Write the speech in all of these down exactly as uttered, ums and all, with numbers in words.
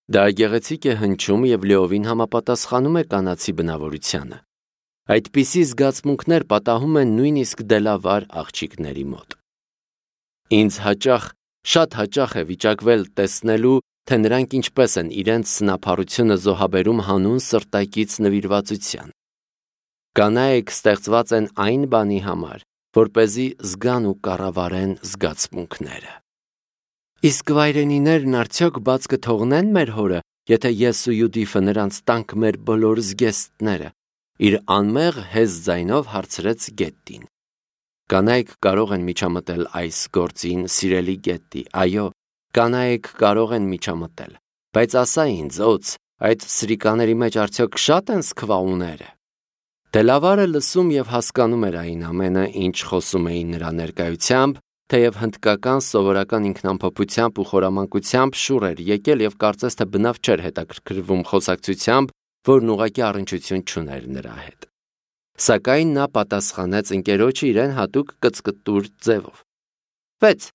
Դա գեղեցիկ է հնչում և լիովին համապատասխանում է կանացի բնավորությանը։ Այդպիսի զգացմունքներ պատահում են նույնիսկ դելավար աղջիկների մոտ։ Ինձ հաճախ, շատ հաճախ է վիճակվել տեսնելու, թե նրանք ինչպես են իրենց սնափառությունը զոհաբերում հանուն սրտակից նվիրվածության։ Կանայք ստեղծված են այն բանի համար, որպեսզի զգան ու կառավարեն զգացմունքները։ Իսկ վայրենիներն արդյոք բաց կթողնեն մեր հորը, եթե ես ու Յուդիֆը նրանց տանք մեր բոլոր զգեստները, իր անմեղ հեզ ձայնով հարցրեց Գետտին։ Կանայք կարող են միջամտել այս գործին, սիրելի Գետտի, այո, կանայք կարող են միջամտել, բայց ասա ինձ, օձ, այդ սրիկաների մեջ արդյոք շատ են սքվաուները։ Դելավարը լսում և հասկանում էր այն ամենը, ինչ խոսում էին նրա ներկայությամբ, թեև հնդկական սովորական ինքնամփոփությամբ ու խորամանկությամբ շուռ էր եկել և կարծես թե բնավ չէր հետաքրքրվում խոսակցությամբ, որն ուղղակի առնչություն չուներ նրա հետ։ Սակայն նա պատասխանեց ընկերոջը իրեն հատուկ կծկտուր ձևով։ Վեց,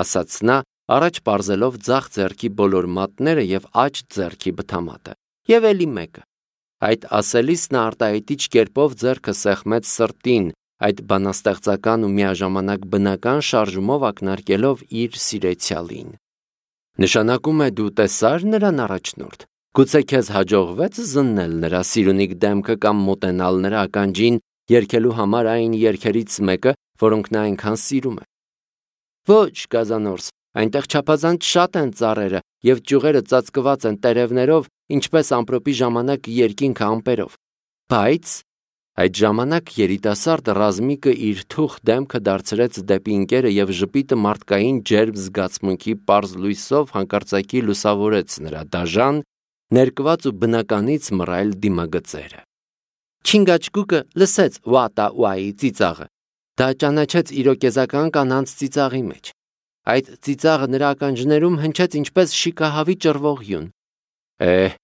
ասաց նա, առաջ պարզելով ձախ ձեռքի բոլոր մատները և աջ ձեռքի բթամատը, և էլի մեկը։ Այդ ասելիս նա արտահայտիչ կերպով ձեռքը սեղմեց սրտին, այդ բանաստեղծական ու միաժամանակ բնական շարժումով ակնարկելով իր սիրեցյալին։ Նշանակում է դու տեսա՞ր նրան առաջնորդ։ Գուցե քեզ հաջողվե՞ց զննել նրա սիրունիկ դեմքը կամ մոտենալ նրա ականջին երգելու համար այն երգերից մեկը, որոնք նա այնքան սիրում է։ Ոչ, Գազանորս, այնտեղ չափազանց շատ են ծառերը և ճյուղերը ծածկված են տերևներով, ինչպես ամպրոպի ժամանակ երկինքը ամպերով։ Բայց այդ ժամանակ երիտասարդ ռազմիկը իր թուխ դեմքը դարձրեց դեպի ընկերը և ժպիտը մարդկային ջերմ զգացմունքի պարզ լույսով հանկարծակի լուսավորեց նրա դաժան, ներկված ու բնականից մռայլ դիմագծերը։ Չինգաչգուկը լսեց Ուատա Ուայի ծիծաղը։ Դա ճանաչեց իրոկեզական կանանց ծիծաղի մեջ։ Այդ ծիծաղը նրա ականջներում հնչեց ինչպես շիկահավի ճռվող յուն։ Էհ,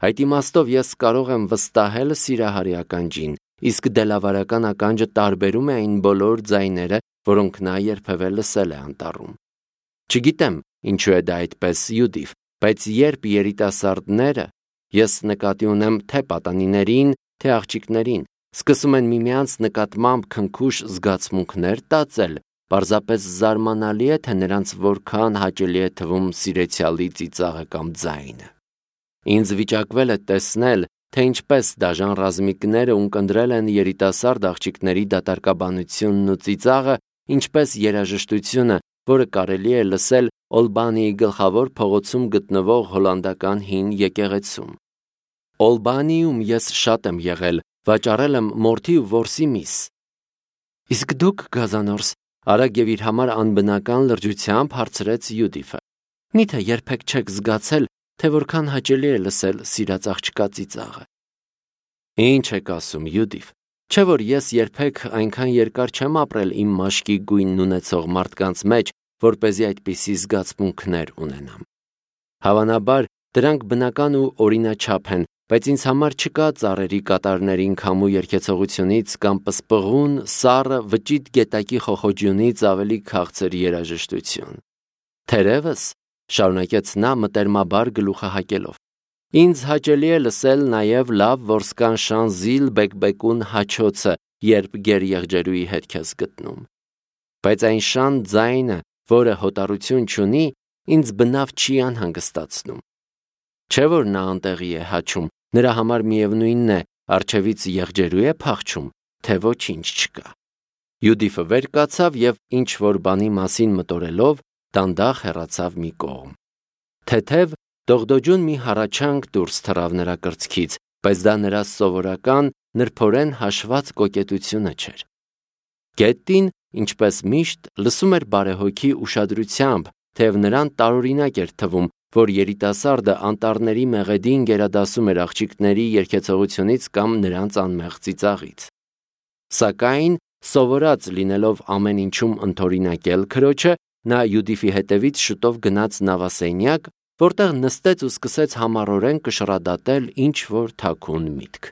այդ իմաստով ես կարող եմ վստահել սիրահարի ականջին, իսկ դելավարական ականջը տարբերում է այն բոլոր ձայները, որոնք նա երբևէ լսել է անտառում։ Չգիտեմ, ինչու է դա այդպես, Յուդիֆ, բայց երբ երիտասարդները, ես նկատի ունեմ թե պատանիներին, թե աղջիկներին, սկսում են միմյանց նկատմամբ քնքուշ զգացմունքներ տածել, պարզապես զարմանալի է, թե նրանց որքան հաճելի է թվում սիրեցյալի ծիծաղը կամ ձայնը։ Ինձ վիճակվել է տեսնել, թե ինչպես դաժան ռազմիկները ունկնդրել են երիտասարդ աղջիկների դատարկաբանությունն ու ծիծաղը, ինչպես երաժշտությունը, որը կարելի է լսել Օլբանիի գլխավոր փողոցում գտնվող հոլանդական հին եկեղեցում։ Օլբանիում ես շատ եմ եղել, վաճառել եմ մորթի ու որսի միս։ Իսկ դուք, Գազանորս, արագ և իր համար անբնական լրջությամբ հարցրեց Յուդիֆը։ Միթե երբեք չեք զգացել, թե որքան հաճելի է լսել սիրած աղջկա ծիծաղը։ Ինչ եք ասում, Յուդիֆ, չէ՞ որ ես երբեք այնքան երկար չեմ ապրել իմ մաշկի գույնն ունեցող մարդկանց մեջ, որպեսզի այդպիսի զգացմունքներ ունենամ։ Հավանաբար, դրանք բնական ու օրինաչափ են, բայց ինձ համար չկա ծառերի կատարներին քամու երգեցողությունից կամ պսպղուն, սառը, վճիտ գետակի խոխոջյունից ավելի քաղցր երաժշտություն։ Թերևս, շարունակեց նա մտերմաբար գլուխը հակելով, ինձ հաճելի է լսել նաև լավ որսկան շանզիլ բեկբեկուն հաչոցը, երբ գերեղջերուի հետք ես գտնում։ Բայց այն շան ձայնը, որը հոտառություն չունի, ինձ բնավ չի անհանգստացնում։ Չէ՞ որ նա անտեղի է հաչում, նրա համար միևնույնն է, առջևից եղջերու է փախչում, թե ոչինչ չկա։ Յուդիֆը վեր կացավ և ինչ-որ բանի մասին մտորելով, դանդաղ հեռացավ մի կողմ։ Թեթև, դողդոջուն մի հառաչանք դուրս թռավ նրա կրծքից, բայց դա նրա սովորական, նրբորեն հաշված կոկետությունը չէր։ Գետտին, ինչպես միշտ, լսում էր բարեհոգի ուշադրությամբ, թեև նրան տարօրինակ էր թվում, որ երիտասարդը անտառների մեղեդին գերադասում էր աղջիկների երգեցողությունից կամ նրանց անմեղ ծիծաղից։ Սակայն, սովորած լինելով ամեն ինչում ընդօրինակել քրոջը, նա Յուդիֆի հետևից շուտով գնաց նավասենյակ, որտեղ նստեց ու սկսեց համառորեն կշռադատել ինչ-որ թաքուն միտք։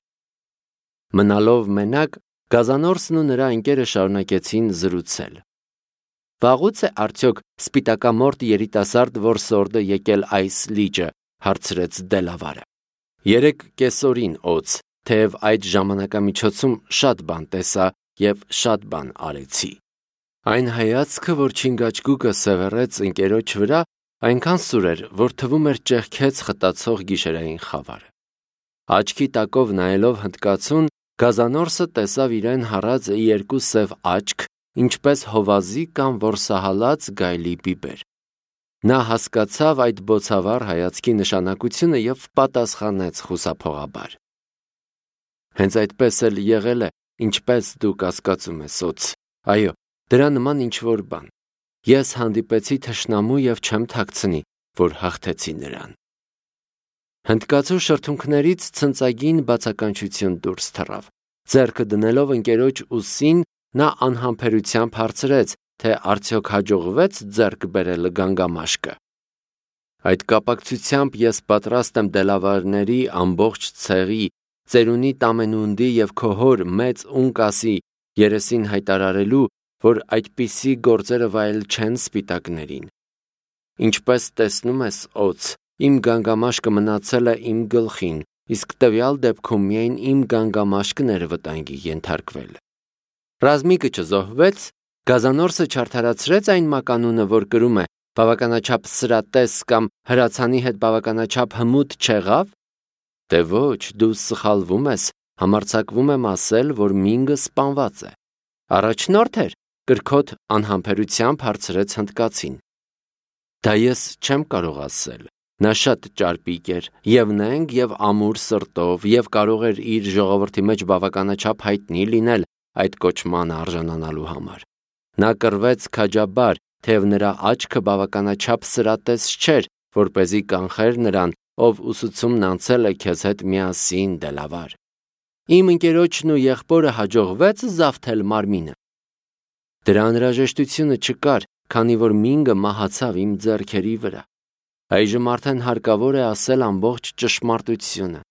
Մնալով մենակ, Գազանորսն ու նրա ընկերը շարունակեցին զրուցել։ Վաղուց է արդյոք սպիտակամորթ երիտասարդ որսորդը եկել այս լիճը, հարցրեց Դելավարը։ Երեք կեսօրին օձ, թեև այդ ժամանակամիջոցում շատ բան տեսա և շատ բան արեցի։ Այն հայացքը, որ Չինգաչգուկը սևեռեց ընկերոջ վրա, այնքան սուր էր, որ թվում էր ճեղքեց խտացող գիշերային խավարը։ Աչքի տակով նայելով հնդկացուն, գազանորսը տեսավ իրեն հառած երկու սև աչք, ինչպես հովազի կամ որսահալած գայլի բիբեր։ Նա հասկացավ այդ բոցավառ հայացքի նշանակությունը և պատասխանեց խուսափողաբար. Հենց այդպես էլ եղել է, ինչպես դու կասկածում ես, օձ։ Այո, դրա նման ինչ-որ բան։ Ես հանդիպեցի թշնամու և չեմ թաքցնի, որ հաղթեցի նրան։ Հնդկացու շրթունքներից ցնծագին բացականչություն դուրս թռավ։ Ձեռքը դնելով ընկերոջ ուսին, նա անհամբերությամբ հարցրեց, թե արդյոք հաջողվեց ձեռք բերել գանգամաշկը։ Այդ կապակցությամբ ես պատրաստ եմ Դելավարների ամբողջ ցեղի, ծերունի Տամենունդի և քո հոր մեծ Ունկասի երեսին հայտարարելու, որ այդպիսի գործերը վայել չեն սպիտակներին։ Ինչպես տեսնում ես, օձ, իմ գանգամաշկը մնացել է իմ գլխին, իսկ տվյալ դեպքում միայն իմ գանգամաշկն էր վտանգի ենթարկվել։ Ռազմիկը չզոհվեց, գազանորսը չարդարացրեց այն մականունը, որ կրում է բավականաչափ սրատես կամ հրացանի հետ բավականաչափ հմուտ չեղավ։ Դե ոչ, դու սխալվում ես, համարձակվում եմ ասել, որ Մինգը սպանված է։ Առաջնորդ էր, կրքոտ անհամբերությամբ հարցրեց հնդկացին։ Դա ես չեմ կարող ասել։ Նա շատ ճարպիկ էր, և նենգ, և ամուր սրտով, և կարող էր իր ժողովրդի մեջ բավականաչափ հայտնի լինել այդ կոչմանը արժանանալու համար։ Նա կռվեց քաջաբար, թեև նրա աչքը բավականաչափ սրատես չէր, որպեսզի կանխեր նրան, ով ուսուցումն անցել է քեզ հետ միասին, Դելավար։ Իմ ընկերոջն ու եղբորը հաջողվեց զավթել մարմինը։ Դրա անհրաժեշտությունը չկար, քանի որ Մինգը մահացավ իմ ձեռքերի վրա։ Այժմ արդեն հարկավոր է ասել ամբողջ ճշմարտությունը։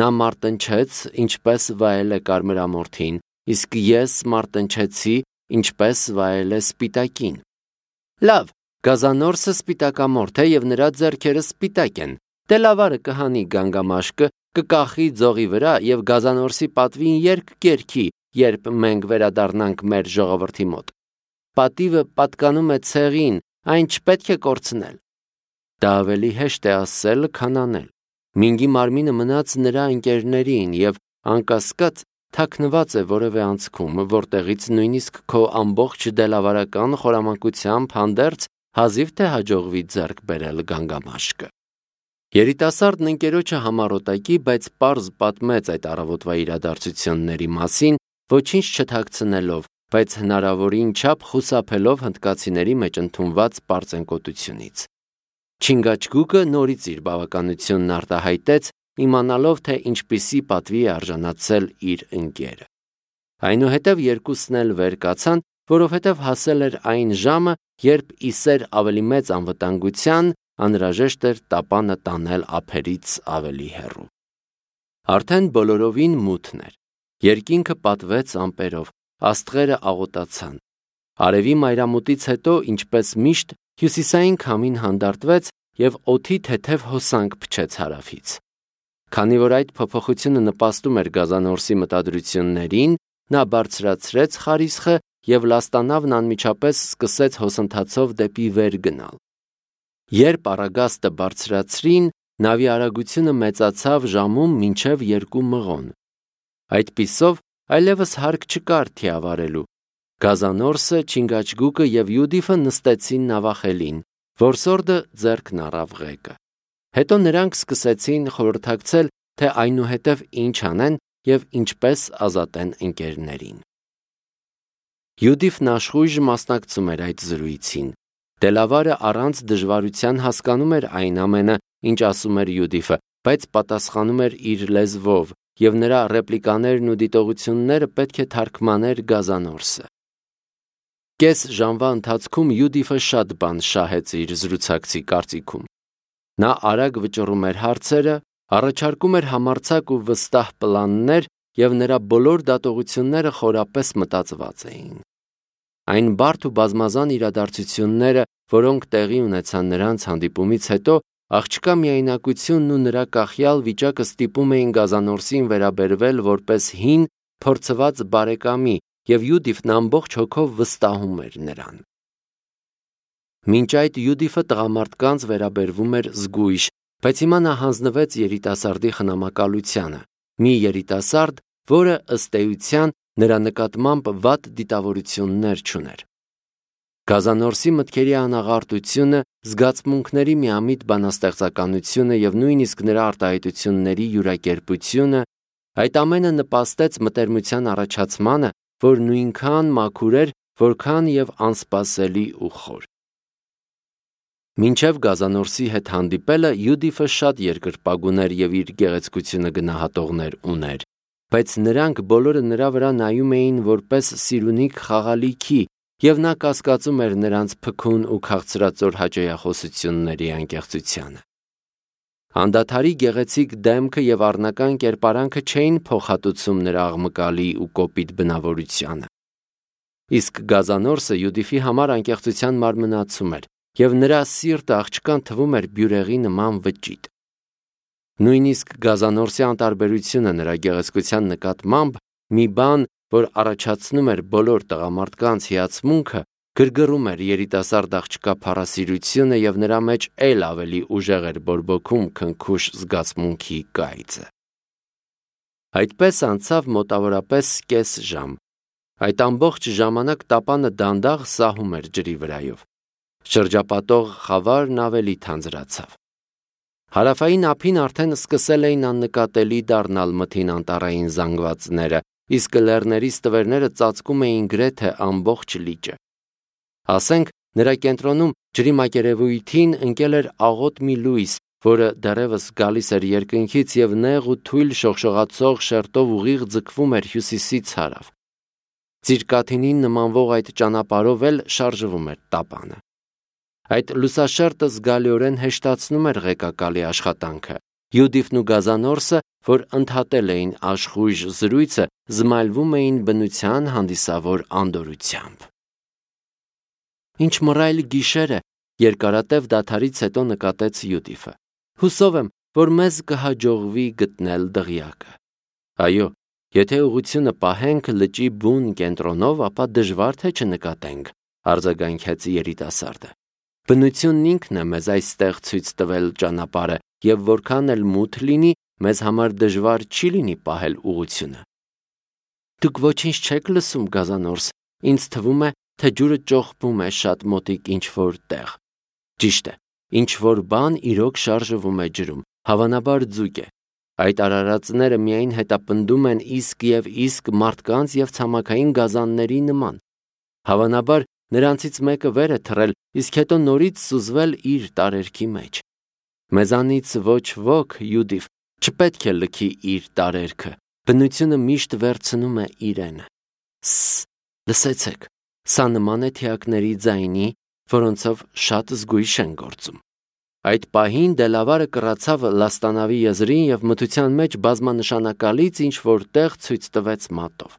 Նա մարտնչեց, ինչպես վայել է կարմրամորթին, իսկ ես մարտնչեցի, ինչպես վայել է սպիտակին։ Լավ, գազանորսը սպիտակամորթ է և նրա ձեռքերը սպիտակ են։ Դելավարը կհանի գանգամաշկը, կկախի ձողի վրա և գազանորսի պատվին երկ կերքի, երբ մենք վերադառնանք մեր ժողովրդի մոտ։ Պատիվը պատկանում է ցեղին, այն չպետք է կորցնել։ Դա ավելի հեշտ է ասել, քան անել։ Մինգի մարմինը մնաց նրա ընկերներին և անկասկած թաքնված է որևէ անցքում, որտեղից նույնիսկ քո ամբողջ դելավարական խորամանկությամբ հանդերձ հազիվ թե հաջողվի ձեռք բերել գանգամաշկը։ Երիտասարդն ընկերոջը համառոտակի, բայց պարզ պատմեց այդ առավոտվա իրադարձությունների մասին, ոչինչ չթաքցնելով, բայց հնարավորին չափ խուսափելով հնդկացիների մեջ ընդունված պարծենկոտությունից։ Չինգաչգուկը նորից իր բավականությունն արտահայտեց, իմանալով, թե ինչպիսի պատվի է արժանացել իր ընկերը։ Այնուհետև երկուսն էլ վեր կացան, որովհետև հասել էր այն ժամը, երբ ի սեր ավելի մեծ անվտանգության անհրաժեշտ էր տապանը տանել ափերից ավելի հեռու։ Արդեն բոլորովին մութն էր։ Երկինքը պատվեց ամպերով, աստղերը աղոտացան։ Արևի մայրամուտից հետո, ինչպես միշտ, հյուսիսային քամին հանդարտվեց և օդի թեթև հոսանք փչեց հարավից։ Քանի որ այդ փոփոխությունը նպաստում էր գազանորսի մտադրություններին, նա բարձրացրեց խարիսխը և լաստանավն անմիջապես սկսեց հոսընթացով դեպի վեր գնալ։ Երբ առագաստը բարձրացրին, նավի արագությունը մեծացավ ժամում մինչև երկու մղոն։ Այդպիսով այլևս հարկ չկար թիավարելու։ Գազանորսը, Չինգաչգուկը և Յուդիֆը նստեցին նավախելին, որսորդը ձեռքն առավ ղեկը։ Հետո նրանք սկսեցին խորհրդակցել, թե այնուհետև ինչ անեն և ինչպես ազատեն ընկերներին։ Յուդիֆն աշխույժ մասնակցում էր այդ զրույցին։ Դելավարը առանց դժվարության հասկանում էր այն ամենը, ինչ ասում էր Յուդիֆը, բայց պատասխանում էր իր լեզվով, և նրա ռեպլիկաներն ու դիտողությունները պետք է թարգմաներ գազանորսը։ Կես ժամվա ընթացքում Յուդիֆը շատ բան շահեց իր զրուցակցի կարծիքում։ Նա արագ վճռում էր հարցերը, առաջարկում էր համարձակ ու վստահ պլաններ, և նրա բոլոր դատողությունները խորապես մտածված էին։ Այն բարդ ու բազմազան իրադարձությունները, որոնք տեղի ունեցան նրանց հանդիպումից հետո, աղջկա միայնակությունն ու նրա կախյալ վիճակը ստիպում էին Գազանորսին վերաբերվել որպես հին, փորձված բարեկամի, և Յուդիֆն ամբողջ հոգով վստահում էր նրան։ Մինչ այդ Յուդիֆը տղամարդկանց վերաբերվում էր զգույշ, բայց հիմա նա հանձնվեց երիտասարդի խնամակալությանը, մի երիտասարդ, որը ըստ էության նրա նկատմամբ վատ դիտավորություններ չուներ։ Գազանորսի մտքերի անաղարտությունը, զգացմունքների միամիտ բանաստեղծականությունը և նույնիսկ նրա արտահայտությունների յուրակերպությունը, այդ ամենը նպաստեց մտերմության առաջացմանը, որ նույնքան մաքուր էր, որքան և անսպասելի ու խոր։ Մինչև Գազանորսի հետ հանդիպելը Յուդիֆը շատ երկրպագուներ և իր գեղեցկությունը գնահատողներ ուներ, բայց նրանք բոլորը նրա վրա նայում էին որպես սիրունիկ խաղալիքի, և նա կասկածում էր նրանց փքուն ու քաղցրածոր հաճոյախոսությունների անկեղծությանը։ Անդադարի գեղեցիկ դեմքը և առնական կերպարանքը չէին փոխհատուցում նրա աղմկալի ու կոպիտ բնավորությանը։ Իսկ Գազանորսը Յուդիֆի համար անկեղծության մարմնացում էր, և նրա սիրտը աղջկան թվում էր բյուրեղի նման վճիտ։ Նույնիսկ Գազանորսի անտարբերությունը նրա գեղեցկության նկատմամբ, մի բան, որ առաջացնում էր բոլոր տղամարդկանց հիացմունքը, գրգռում էր երիտասարդ աղջկա փառասիրությունը և նրա մեջ էլ ավելի ուժեղ էր բորբոքում քնքուշ զգացմունքի կայծը։ Այդպես անցավ մոտավորապես կես ժամ։ Այդ ամբողջ ժամանակ տապանը դանդաղ սահում էր ջրի վրայով։ Շրջապատող խավարն ավելի թանձրացավ։ Հարավային ափին արդեն սկսել էին աննկատելի դառնալ մթին անտառային զանգվածները, իսկ լեռների ստվերները ծածկում էին գրեթե ամբողջ լիճը։ Ասենք, նրա կենտրոնում ջրի մակերևույթին ընկել էր աղոտ մի լույս, որը դեռևս գալիս էր երկնքից և նեղ ու թույլ շողշողացող շերտով ուղիղ ձգվում էր հյուսիսից հարավ։ Ծիրկաթինին նմանվող այդ ճանապարհով էլ շարժվում էր տապանը։ Այդ լուսաշերտը զգալիորեն հեշտացնում էր ղեկակալի աշխատանքը։ Յուդիֆն ու Գազանորսը, որ ընդհատել էին աշխույժ զրույցը, զմայլվում էին բնության հանդիսավոր անդորրությամբ։ Ինչ մռայլ գիշեր է, երկարատև դադարից հետո նկատեց Յուդիֆը։ Հուսով եմ, որ մեզ կհաջողվի գտնել դղյակը։ Այո, եթե ուղղությունը պահենք լճի բուն կենտրոնով, ապա դժվար թե չնկատենք, արձագանքեց երիտասարդը։ Բնությունն ինքն է մեզ այստեղ ցույց տվել ճանապարհը, և որքան էլ մութ լինի, մեզ համար դժվար չի լինի պահել ուղղությունը։ Դուք ոչինչ չեք լսում, Գազանորս, ինձ թվում է, թե ջուրը ճոխվում է շատ մոտիկ ինչ-որ տեղ։ Ճիշտ է, ինչ-որ բան իրոք շարժվում է ջրում, հավանաբար ձուկ է։ Այդ արարածները միայն հետապնդում են իսկ և իսկ մարդկանց և ցամաքային գազանների նման։ Հավանաբար նրանցից մեկը վեր է թռել, իսկ հետո նորից սուզվել իր տարերքի մեջ։ Մեզանից ոչ ոք, Յուդիֆ, չպետք է լքի իր տարերքը, բնությունը միշտ վերցնում է իրենը։ Սս, լսեցեք, սա նման է թիակների ձայնի, որոնցով շատ զգույշ են գործում։ Այդ պահին Դելավարը կռացավ Լաստանավի եզրին և մթության մեջ բազմանշանակալից ինչ-որ տեղ ցույց տվեց մատով։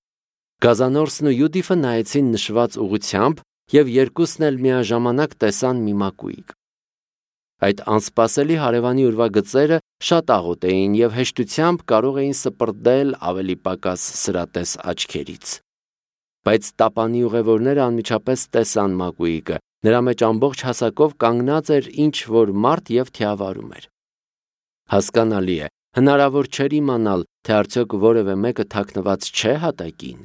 Գազանորսն ու Յուդիֆը նայեցին նշված ուղղությամբ և երկուսն էլ միաժամանակ տեսան մի մակույկ։ Այդ անսպասելի հարևանի ուրվագծերը շատ աղոտ էին և հեշտությամբ կարող էին սպրդել ավելի պակաս սրատես աչքերից։ Բայց տապանի ուղևորները անմիջապես տեսան մակույկը, նրա մեջ ամբողջ հասակով կանգնած էր ինչ-որ մարդ և թիավարում էր։ Հասկանալի է, հնարավոր չէր իմանալ, թե արդյոք որևէ մեկը թաքնված չէ հատակին։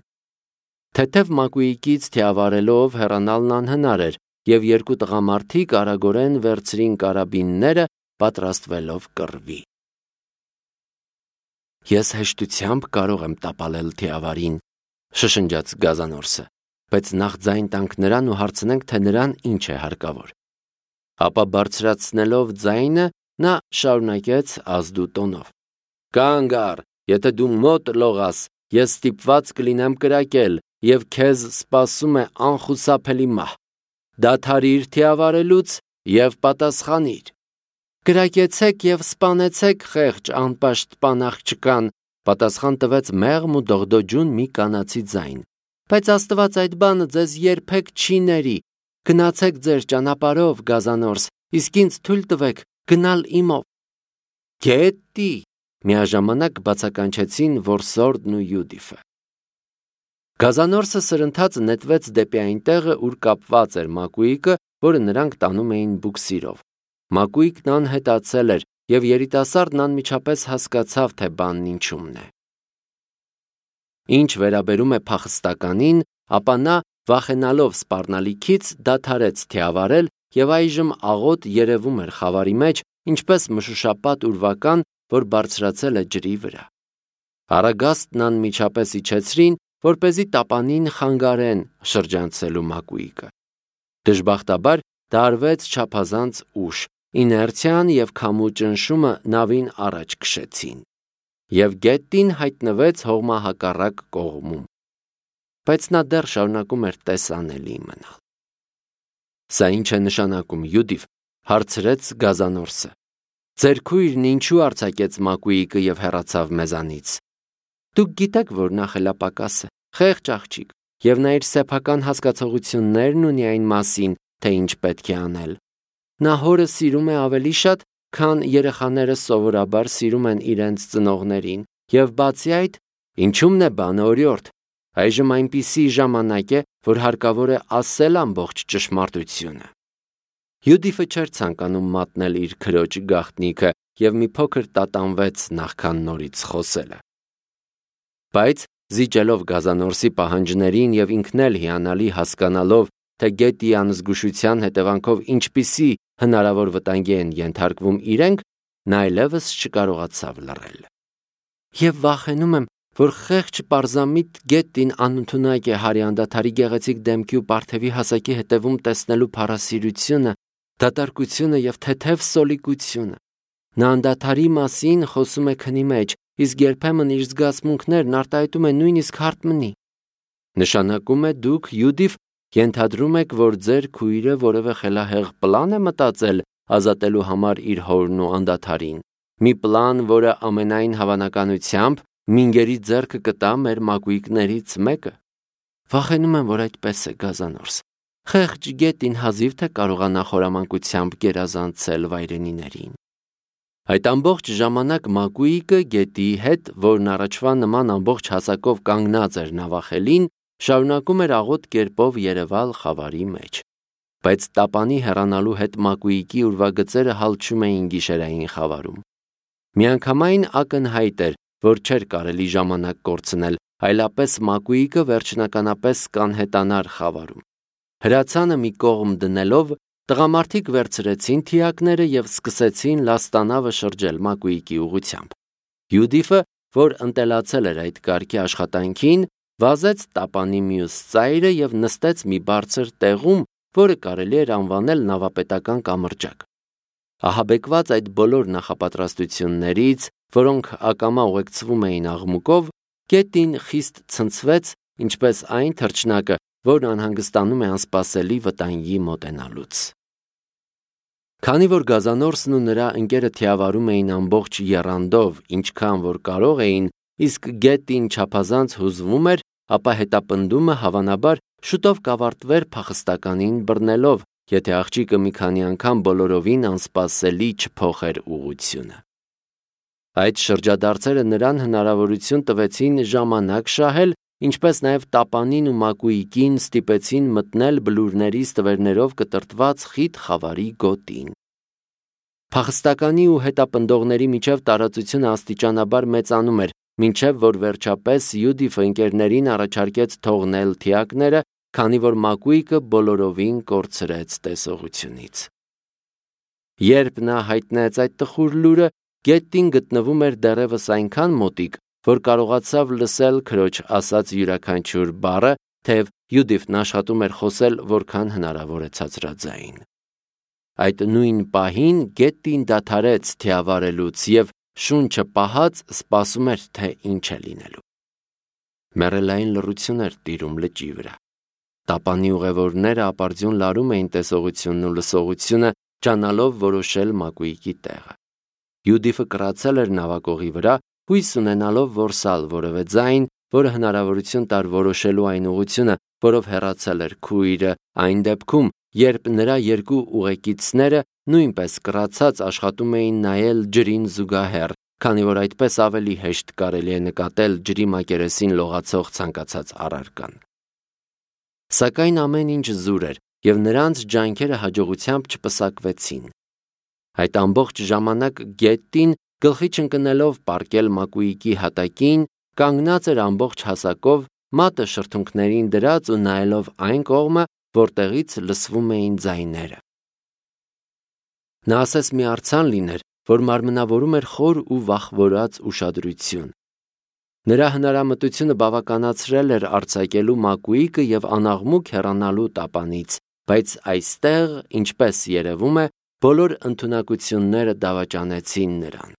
Թեթև մակույկից թիավարելով հեռանալն անհնար էր, և երկու տղամարդիկ արագորեն վերցրին կարաբինները, պատրաստվելով կռվի։ Ես հեշտությամբ կարող եմ տապալել թիավարին, շշնջաց Գազանորսը, բայց նախ ձայն տանք նրան ու հարցնենք, թե նրան ինչ է հարկավոր։ Ապա բարձրացնելով ձայնը, նա շարունակեց ազդու տոնով. Կանգ առ, եթե դու մոտ լողաս, ես ստիպված կլինեմ կրակել, և քեզ սպասում է անխուսափելի մահ։ Դադարիր թիավարելուց և պատասխանիր։ Կրակեցեք և սպանեցեք խեղճ անպաշտպան աղջկան, պատասխան տվեց մեղմ ու դողդոջուն մի կանացի ձայն։ Բայց Աստված այդ բանը ձեզ երբեք չի ների։ Գնացեք ձեր ճանապարհով, Գազանորս, իսկ ինձ թույլ տվեք, գնալ իմով։ Գետի, միաժամանակ բացականչեցին Որսորդն ու Յուդիֆը։ Գազանորսը սրընթաց նետվեց դեպի այն տեղը, ուր կապված էր Մակուիկը, որը նրանք տանում էին բուքսիրով։ Մակուիկն անհետացել էր, եւ երիտասարդն անմիջապես հասկացավ, թե բանն ինչումն է։ Ինչ վերաբերում է փախստականին, ապա նա, վախենալով սպառնալիքից, դադարեց թիավարել եւ այժմ աղոտ երևում էր խավարի մեջ, ինչպես մշուշապատ ուրվական, որ բարձրացել է ջրի վրա։ Արագաստն անմիջապես իջեցրին, որպեսզի տապանին խանգարեն շրջանցելու Մակուիկը։ Դժբախտաբար դա արվեց չափազանց ուշ, իներցիան եւ քամու ճնշումը նավին առաջ քշեցին, եւ գետին հայտնվեց հողմահակառակ կողմում, բայց նա դեռ շարունակում էր տեսանելի մնալ։ Սա ինչ է նշանակում, Յուդիֆ, հարցրեց Գազանորսը։ Ձեր քույրն ինչու արձակեց Մակուիկը եւ հեռացավ մեզանից։ Դուք գիտեք, որ նա խելապակաս է, խեղճ աղջիկ, եւ նա իր սեփական հասկացողություններն ունի այն մասին, թե ինչ պետք է անել։ Նա հորը սիրում է ավելի շատ, քան երեխաները սովորաբար սիրում են իրենց ծնողներին, եւ բացի այդ, ինչումն է բանը օրիորդ, այժմ այնպիսի ժամանակ է, որ հարկավոր է ասել ամբողջ ճշմարտությունը։ Յուդիֆը չէր ցանկանում մատնել իր քրոջ գաղտնիքը եւ մի փոքր տատանվեց նախքան նորից խոսելը։ Բայց զիջելով Գազանորսի պահանջներին եւ ինքն էլ հիանալի հասկանալով, թե գետի անզգուշության հետևանքով ինչպիսի հնարավոր վտանգի են ենթարկվում իրենք, նա այլևս չկարողացավ լռել։ Եվ վախենում եմ, որ խեղճ պարզամիտ գետին անընդունակ է Հարի անդադարի գեղեցիկ դեմքի ու պարթևի հասակի հետևում տեսնելու փառասիրությունը, դատարկությունը եւ թեթև սոլիկությունը։ Նա անդադարի մասին խոսում է քնի մեջ, իսկ երբեմն իր զգացմունքներն արտահայտում է նույնիսկ հարթմնի։ Նշանակում է դուք, Յուդիֆ, ենթադրում եք, որ ձեր քույրը որևէ խելահեղ պլան է մտածել ազատելու համար իր հորն ու անդադարին։ Մի պլան, որը ամենայն հավանականությամբ մինգերի ձեռքը կտա մեր Մակուիկներից մեկը։ Վախենում եմ, որ այդպես է, Գազանորս։ Խեղճ գետին հազիվ թե կարողանա խորամանկությամբ գերազանցել վայրենիներին։ Այդ ամբողջ ժամանակ Մակուիկը գետի հետ, որն առաջվա նման ամբողջ հասակով կանգնած էր նավախելին, շարունակում էր աղոտ կերպով երևալ խավարի մեջ։ Բայց տապանի հեռանալու հետ Մակուիկի ուրվագծերը հալչում էին գիշերային խավարում։ Միանգամայն ակնհայտ էր, որ չէր կարելի ժամանակ կորցնել, այլապես Մակուիկը վերջնականապես կանհետանար խավարում։ Հրացանը մի կողմ դնելով, տղամարդիկ վերցրեցին թիակները եւ սկսեցին լաստանավը շրջել Մակուիկի ուղությամբ։ Յուդիֆը, որ ընտելացել էր այդ կարգի աշխատանքին, վազեց տապանի մյուս ծայրը եւ նստեց մի բարձր տեղում, որը կարելի էր անվանել նավապետական կամրջակ։ Ահաբեկված այդ բոլոր նախապատրաստություններից, որոնք ակամա ուղեկցվում էին աղմուկով, գետին խիստ ցնցվեց, ինչպես այն թռչնակը, որն անհանգստանում է անսպասելի վտանգի մոտենալուց։ Քանի որ Գազանորսն ու նրա ընկերը թիավարում էին ամբողջ եռանդով, ինչքան որ կարող էին, իսկ գետին չափազանց հուզվում էր, ապա հետապնդումը հավանաբար շուտով կավարտվեր փախստականին բռնելով, եթե աղջիկը մի քանի անգամ բոլորովին անսպասելի չփոխեր ուղղությունը։ Այդ շրջադարձերը նրան հնարավորություն տվեցին ժամանակ շահել, ինչպես նաև տապանին ու Մակուիկին ստիպեցին մտնել բլուրների ստվերներով կտրտված խիտ խավարի գոտին։ Փախստականի ու հետապնդողների միջև տարածությունը աստիճանաբար մեծանում էր, մինչև որ վերջապես Յուդիֆը ընկերներին առաջարկեց թողնել թիակները, քանի որ Մակուիկը բոլորովին կորցրեց տեսողությունից։ Երբ նա հայտնեց այդ տխուր լուրը, գետին գտնվում էր դեռևս այնքան մոտիկ, որ կարողացավ լսել քրոջ ասած յուրաքանչյուր բառը, թեև Յուդիֆն աշխատում էր խոսել որքան հնարավոր է ցածրաձայն։ Այդ նույն պահին գետին դադարեց թիավարելուց եւ շունչը պահած սպասում էր, թե ինչ է լինելու։ Մեռելային լռություն էր տիրում լճի վրա։ Տապանի ուղևորները ապարդյուն լարում էին տեսողությունն ու լսողությունը, ճանալով որոշել Մակուիկի տեղը։ Յուդիֆը կռացել էր նավակողի վրա, հույս ունենալով որսալ որևէ ձայն, որը հնարավորություն տար որոշելու այն ուղղությունը, որով հեռացել էր քույրը, այն դեպքում, երբ նրա երկու ուղեկիցները նույնպես կռացած աշխատում էին նայել ջրին զուգահեռ, քանի որ այդպես ավելի հեշտ կարելի է նկատել ջրի մակերեսին լողացող ցանկացած առարկան։ Սակայն ամեն ինչ զուր էր, եւ նրանց ջանքերը հաջողությամբ չպսակվեցին։ Այդ ամբողջ ժամանակ Գետտին, գլխի չընկնելով պառկել մակույկի հատակին, կանգնած էր ամբողջ հասակով, մատը շրթունքներին դրած ու նայելով այն կողմը, որտեղից լսվում էին ձայները։ Նա ասես մի արձան լիներ, որ մարմնավորում էր խոր ու վախվորած ուշադրություն։ Նրա հնարամտությունը բավականացրել էր արձակելու մակույկը եւ անաղմուկ հեռանալու տապանից, բայց այստեղ, ինչպես երևում է, բոլոր ընդունակությունները դավաճանեցին նրան։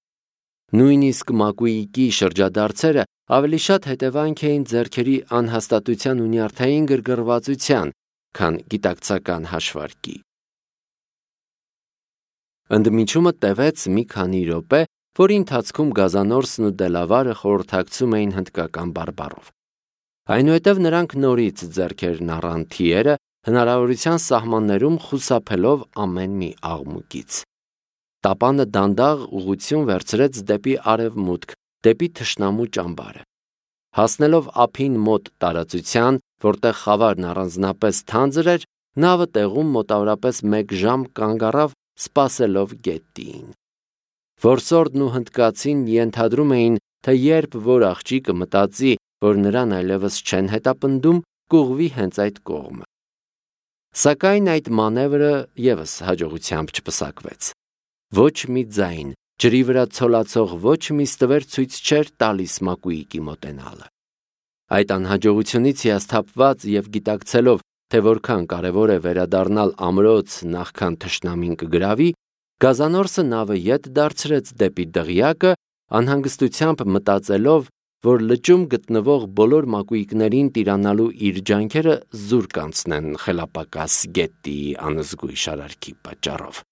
Նույնիսկ մակույկի շրջադարձերը ավելի շատ հետևանք էին ձեռքերի անհաստատության ու նյարդային գրգռվածության, քան գիտակցական հաշվարկի։ Ընդմիջումը տևեց մի քանի րոպե, որի ընթացքում Գազանորսն ու Դելավարը խորհրդակցում էին հնդկական բարբառով։ Այնուհետև նրանք նորից ձեռքերն առան թիերը, հնարավորության սահմաններում խուսափելով ամեն մի աղմուկից։ Տապանը դանդաղ ուղղություն վերցրեց դեպի արևմուտք, դեպի թշնամու ճամբարը։ Հասնելով ափին մոտ տարածության, որտեղ խավարն առանձնապես թանձր էր, նավը տեղում մոտավորապես մեկ ժամ կանգ առավ, սպասելով Գետտիին։ Որսորդն ու հնդկացին ենթադրում էին, թե երբ որ աղջիկը մտածի, որ նրան այլևս չեն հետապնդում, կուղղվի հենց այդ կողմը։ Սակայն այդ մանևրը ևս հաջողությամբ չպսակվեց։ Ոչ մի ձայն, ջրի վրա ցոլացող ոչ մի ստվեր ցույց չէր տալիս մակույկի մոտենալը։ Այդ անհաջողությունից հիասթափված եւ գիտակցելով, թե որքան կարևոր է վերադառնալ ամրոց, նախքան թշնամին կգրավի, Գազանորսը նավը ետ դարձրեց դեպի դղյակը, անհանգստությամբ մտածելով, որ լճում գտնվող բոլոր մակույկներին տիրանալու իր ջանքերը զուր կանցնեն խելապակաս Գետտիի անզգույշ արարքի պատճառով։